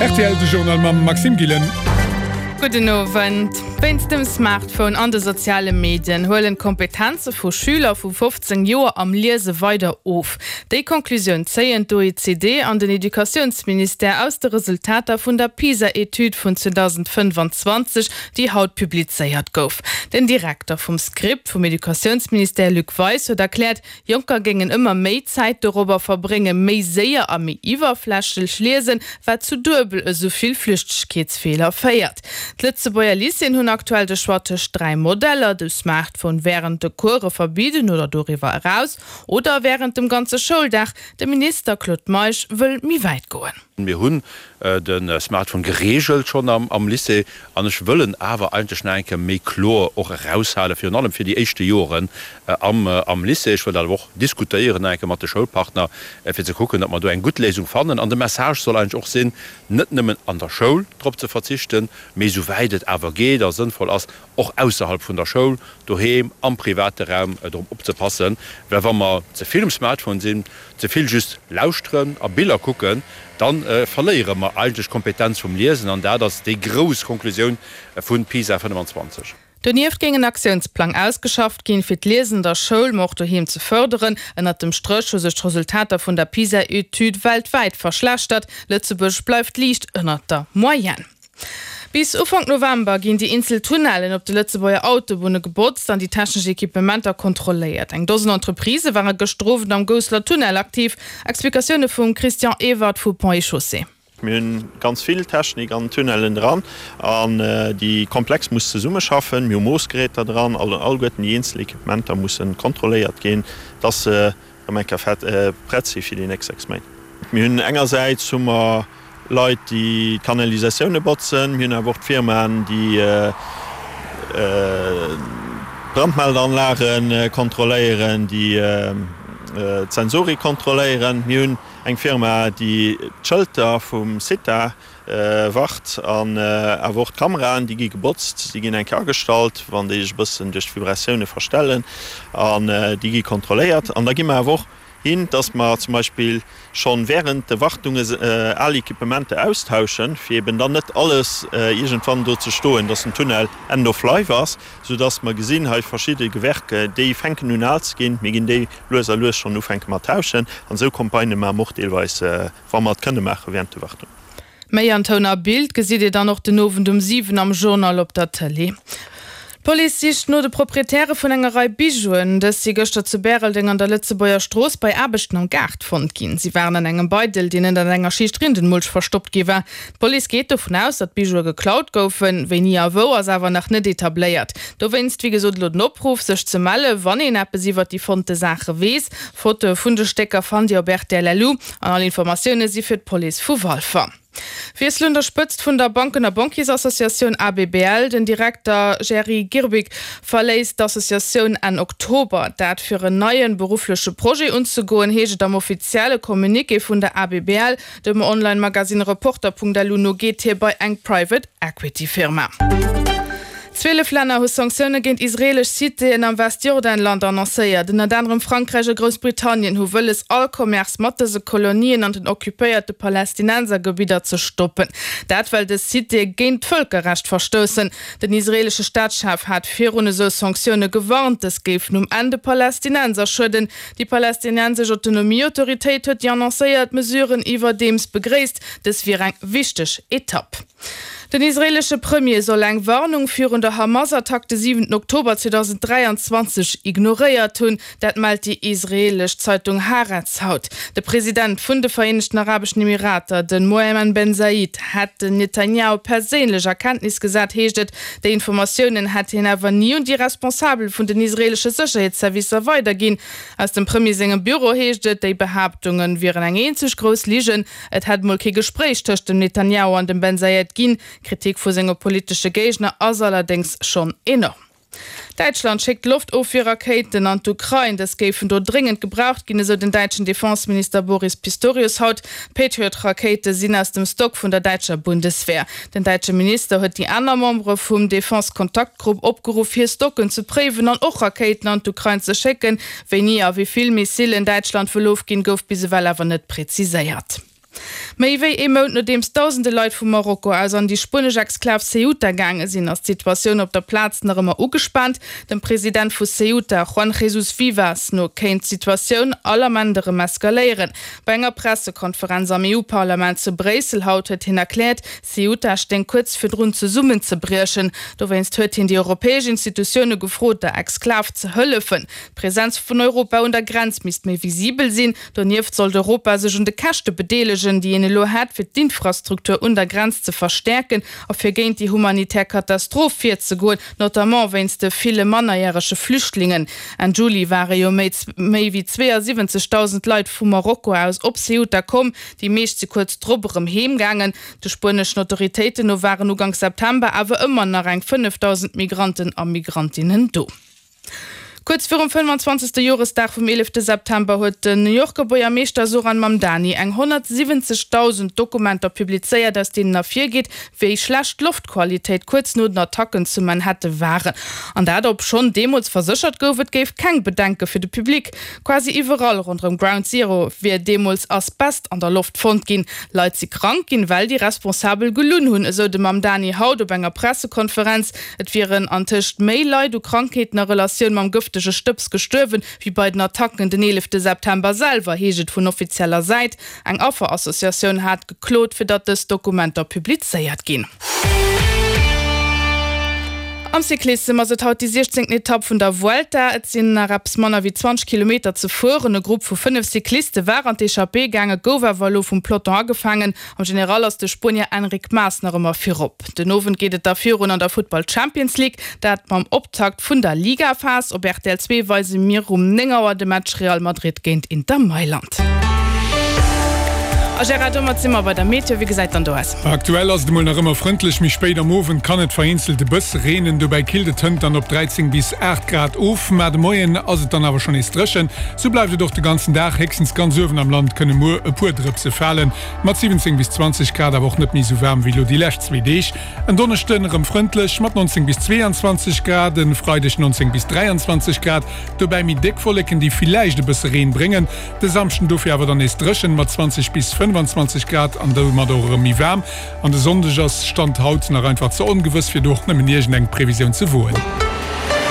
Rtl, de Journal mam Maxime Gillen. Gudden Owend. Wéinst dem Smartphone an de soziale Medien huelen d'Kompetenze vu Schüler vu 15 Joer am Liese weider of. Déi Conclusioun zéien d'OECD an den Educatiounsministère aus de Resultater vun der PISA-Etüd vun 2025, déi haut publizéiert gouf. Den Direkter vum Script vum Educatiounsministère Luc Weis huet erkläert, Jonker géingen ëmmer méi Zäit dorobber verbréngen, méi séier a méi iwwerflächlech liesen, wat zu duebel esou vill Flüchtegkeetsfeeler féiert. D'Lëtzebuerger Lycéeën hunn aktuell de Choix tëscht 3 Modeller, de Smartphone wärend de Course verbidden oder doriwwer eraus, oder wärend dem ganze Schouldag. De Minister Claude Meisch wëll méi wäit goen. Mir hunn de Smartphone gereegelt schonn am Lycée an ech wëll en awer eigentlech nach eng Kéier méi kloer och eraushalen, virun allem fir déi éischte Joren am Lycée. Ech wëll dat awer och diskutéieren nach eng Kéier mat de Schoulpartner, fir ze kucken, datt mer do eng gutt Léisung fannen. An de Message soll eigentlech och sinn, net nëmmen an der Schoul drop ze verzichten, mee esouwäit et awer geet a sënnvoll ass, och ausserhalb vun der Schoul, doheem, am private Raum drop opzepassen, well wa mer ze vill um Smartphone sinn, ze vill just lauschteren a Biller kucken, da verléiere mer eigentlech d'Kompetenz vum Liesen an dat ass déi grouss Konklusioun vu PISA 25. Donieft géing en Aktiounsplang ausgeschafft ginn, fir d'Liesen an der Schoul, ma och doheem ze fërderen. Ënnert dem Stréch hu sech d'Resultater vun der PISA-Etüd weltwäit verschlechtert. Lëtzebuerg bleift liicht ënnert der Moyenne. Bis Ufank November ginn déi eenzel Tunnellen op de Lëtzebuerger Autobunne gebotzt an déi technesch Equipementer kontrolléiert. Eng Dosen Entreprisë ware gëschter Owend am Gousseler Tunnel aktiv. Explikatioune vum Christian Ewert vu Ponts et Chaussées. Mir hunn ganz vill Technik an den Tunnellen dran an déi komplex muss zesummeschaffen. Mir hu Moossgeräter dran, alleguerten déi eenzel Equipementer mussen kontrolléiert ginn, dass se Erëm eng Kéier fett prett si fir déi nächst 6 Méint. Mir hunn engersäits hu mer Leit, déi d'Kanalisatioune botzen. Mir hunn awer och d'Firmaen, déi d'Brandmeldeanlage kontrolléieren, déi d'Sensorik kontrolléieren. Mir hunn eng Firma, déi d'Schëlter vum CITA Wart an awer och d'Kameraen, déi gi gebotzt, déi ginn eng Kéier agestallt, wann déi sech e bëssen duerch d'Vibratioune verstellen, an déi gi kontrolléiert. An da gi mer awer och hin, dass mer zum Beispill scho während de Wartunge al Equipementer austauschen, fir eben dann net alles iergendwann do ze stoen, dass den Tunnel end of life ass, soudass mer gesinn, hei verschidde Gewerke, déi fänken un al ze ginn, mir ginn déi lues a lues schonn ufänke mat tauschen. An esou Campagnë maache mer och deelweis. Wa mer et kënne maache während de Wartung. Méi an Toun a Bild gesitt Dir dann och den Owend um 7 am Journal op der Tëlee. D'Police sicht no de Proprietäre vun enger Rei Bijouen. Dës si gëschter zu Bäreldeng an der Lëtzebuerger Strooss bei Aarbechten am Gaart fonnt ginn. Si waren an engem Beidel, deen ënnert enger Schicht Rindenmulch verstoppt gi war. D'Police geet dovun aus, datt d'Bijoue geklaut goufen. Wéini a wou ass awer nach net etabléiert. Dowéinst wéi gesot elo den Opruff, sech ze melle wann een eppes iwwert déi fonnte Saache weess. Fotoe vun de Stécker fannt Dir op rtl.lu an all Informatioune si fir d'Police vu Walfer. Wiessel un der Spëtzt vun der Banken a Banquiersassociatioun ABBL, Den Direkter Jerry Girbig verléisst d'Associatioun Enn Oktober. Dat fir en neien beruffleche Projet unzegoen, heescht et am offizielle Communiqué vun der ABBL. Dem Online-Magasinn Reporter.lu no geet hie bei eng Private Equity Firma. 12 Länner hu Sanktioune géint israeelesch Citéen am Westjordanland annoncéiert. Ënnert anerem Frankräich a Groussbritannien hu wëlles, all Commerce mat dëse Kolonien an den occupéierte Palästinensergebidder ze stoppen. Dat well dës Citéë géint d'Vëlkerrecht verstoussen. Den israeelesche Staatschef hat virun esou Sanktioune gewarnt, dës géifen um Enn de Palästinenser schueden. Déi palästinensesch Autonomieautoritéit huet déi annoncéiert Mesuren iwwerdeems begréisst. Dës wier eng wichteg Etapp. Den israeelesche Premier soll eng Warnung virun der Hamas-Attack de siwenten Oktober 2023 ignoréiert hunn. Dat mellt déi israeelesch Zeitung Haaretz haut. De President vun de Vereenegten Arabeschen Emirater, de Mohammed Ben Zayed, hätt den Netanjahu perséinlech a Kenntnis gesat, heescht et. Déi Informatiounen hätt hien awer ni un déi Responsabel vun den israeelesche Sécherheetsservicer weiderginn. Aus dem Premier sengem Büro heescht et, déi Behaaptunge wieren eng eenzeg grouss Ligen. Et hätt mol kee Gespréich tëscht dem Netanjahu an dem Ben Zayed ginn. D'Kritik vu senge politesche Géigner ass allerdéngs schonn enorm. Däitschland schéckt Loftofwierrakéiten an d'Ukrain. Dës géifen do dréngend gebraucht ginn, esou den däitschen Defenseminister Boris Pistorius haut. D'Patriot-Rakéite sinn aus dem Stock vun der däitscher Bundeswehr. Den däitsche Minister huet déi aner Membere vum Defense-Kontaktgrupp opgeruff, hir Stocken ze préiwen an och Rakéiten an d'Ukrain ze schécken. Wéini a wéi vill Missilen Däitschland wëll ofginn, gouf bis ewell awer net präziséiert. Méi wéi ee Mount nodeems dausende Leit vu Marokko aus an déi spuenesch Exklav Ceuta gaange sinn, ass d'Situatioun op der Plaz nach ëmmer ugespaant. Dem President vu Ceuta, Juan Jesús Vivas, no kéint d'Situatioun all Ament erëm eskaléieren. Bei enger Pressekonferenz am EU-Parlament zu Bréissel haut huet hien erkläert, Ceuta stéing kuerz virdrun zesummenzebriechen. Dowéinst huet hien déi europäesch Institutioune gefrot, der Exklav ze hëllefen. D'Presenz vun Europa un der Grenz misst méi visibel sinn. Donieft sollt Europa sech un de Käschte bedeelegen, déi een elo hätt, fir d'Infrastruktur un der Grenz ze verstäerken a fir géint déi humanitär Katastroph virzegoen, notamment wéinst de ville mannerjärege Flüchtlingen. Enn Juli ware jo méi méi wéi 72.000 Leit vu Marokko aus op Ceuta komm. Déi meescht si kuerz drop erëm heem gaangen. De spueneschen Autoritéiten no waren Uganks September awer ëmmer nach eng 5.000 Migranten a Migrantinnen do. Kuerz virum 25. Joresdag vum 11. September huet den New Yorker Buergermeeschter Zohran Mamdani eng 170.000 Dokumenter publizéiert, aus deenen ervirgeet, wéi schlecht d'Loftqualitéit kuerz no den Attacken zu Manhatte waren. An dat obschonn deemools verséchert gouf, et géif keng Bedenke fir de Public. Quasi iwwerall ronderëm Ground Zero wier deemools Asbest an der Loft fonnt ginn. Leit si krank ginn, well déi Responsabel gelunn hunn, esou de Mamdani haut op enger Pressekonferenz. Et wieren antëscht méi Leit u Krankheeten a Relatioun mam gëftege Stëbs gestuerwen, wéi bei den Attacken den 11 September selwer, heescht et vun offizieller Säit. Eng Afferassociatioun hat geklot, fir datt dës Dokumenter publizéiert ginn. Am Cyclissem ass et haut déi 16. Etapp vun der Vuelta. Et sinn nach eppes manner wéi 20 Kilometer ze fueren. E Grupp vu 5 Cycliste war an d'Echappée gaangen, gouf awer elo vum Peloton agefaangen. Am General ass de Spuenier Enric Mas nach ëmmer virop. Den Owend geet et da virun an der Futtball Champions League, dat mam Optakt vun der Ligaphas. Op rtl 2 weise mir um 9 Auer de Match Real Madrid géint Inter Mailand. A Gérard, domat si mer bei der Meteo. Wéi gesäit dann do aus? Aktuell ass et emol nach ëmmer frëndlech, méi spéit am Owend kann et vereenzelt e bësse reenen. Dobäi killt et hënt dann op 13 bis 8 Grad of, ma de Moien ass et dann awer schonn nees dréchen. Sou bleift et och de ganzen Dag, héchstens ganz uewen am Land kënne muer e puer Drëpse falen. Mat 17 bis 20 Grad awer och net méi sou waarm wéi lo déi lescht zwee Deeg. En Donneschden erëm frëndlech mat 19 bis 22 Grad, en Freideg 19 bis 23 Grad, dobäi méi déck Wolleken déi villäicht e bësse Reen bréngen. De Samschden dofir awer dann nees dréchen mat 20 bis 25 Grad an domat och erëm méi waarm. An de Sonndeg ass Stand haut nach einfach ze ongewëss fir do och nëmmen iergend eng Previsioun ze woen.